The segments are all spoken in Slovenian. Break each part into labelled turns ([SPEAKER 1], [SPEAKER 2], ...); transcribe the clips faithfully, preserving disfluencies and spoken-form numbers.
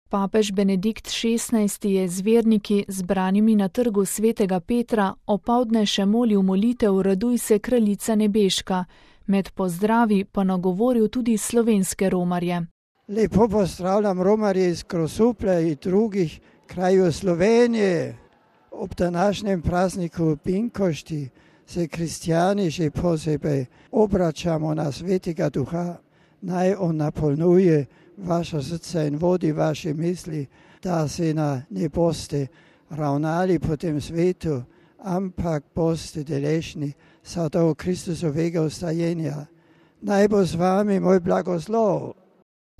[SPEAKER 1] Papež Benedikt šestnajsti je z verniki, zbranimi na trgu svetega Petra, opoldne še molil molitev Raduj se, kraljica nebeška, med pozdravi pa nagovoril tudi slovenske romarje.
[SPEAKER 2] Lepo pozdravljam romarje iz Grosuplja in drugih krajev Slovenije. Ob današnjem prazniku Pinkošti se kristijani še posebej obračamo na svetega duha, naj on napolnjuje vaše srce in vodi vaše misli, da se na ne boste ravnali po tem svetu, ampak boste deležni sadov Kristusovega vstajenja. Naj bo z vami moj blagoslov.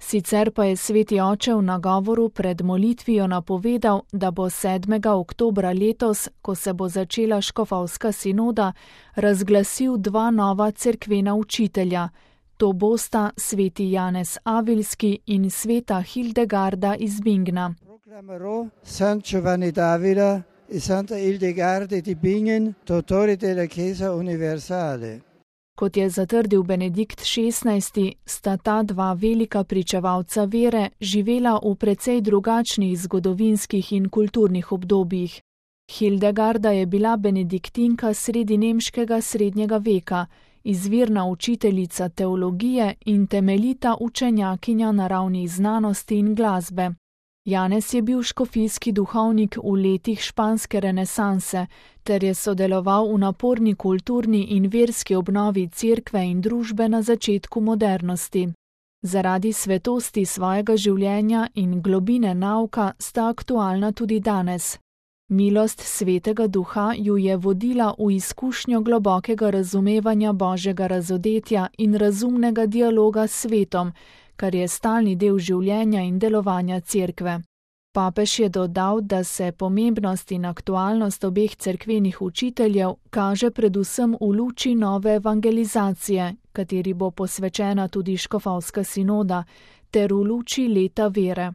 [SPEAKER 1] Sicer pa je sveti oče v nagovoru pred molitvijo napovedal, da bo sedmega oktobra letos, ko se bo začela škofovska sinoda, razglasil dva nova cerkvena učitelja. To bosta sveti Janez Avilski in sveta Hildegarda iz Bingna.
[SPEAKER 2] Proclamerò San Giovanni d'Avila e Santa Hildegarda di Bingen, dottori della Chiesa Universale.
[SPEAKER 1] Kot je zatrdil Benedikt šestnajsti, sta ta dva velika pričevalca vere živela v precej drugačnih zgodovinskih in kulturnih obdobjih. Hildegarda je bila benediktinka sredi nemškega srednjega veka, izvirna učiteljica teologije in temeljita učenjakinja naravnih znanosti in glasbe. Janez je bil škofijski duhovnik v letih španske renesanse ter je sodeloval v naporni kulturni in verski obnovi cerkve in družbe na začetku modernosti. Zaradi svetosti svojega življenja in globine nauka sta aktualna tudi danes. Milost svetega duha ju je vodila v izkušnjo globokega razumevanja Božjega razodetja in razumnega dialoga s svetom, kar je stalni del življenja in delovanja cerkve. Papež je dodal, da se pomembnost in aktualnost obeh cerkvenih učiteljev kaže predvsem v luči nove evangelizacije, kateri bo posvečena tudi škofovska sinoda, ter v luči leta vere.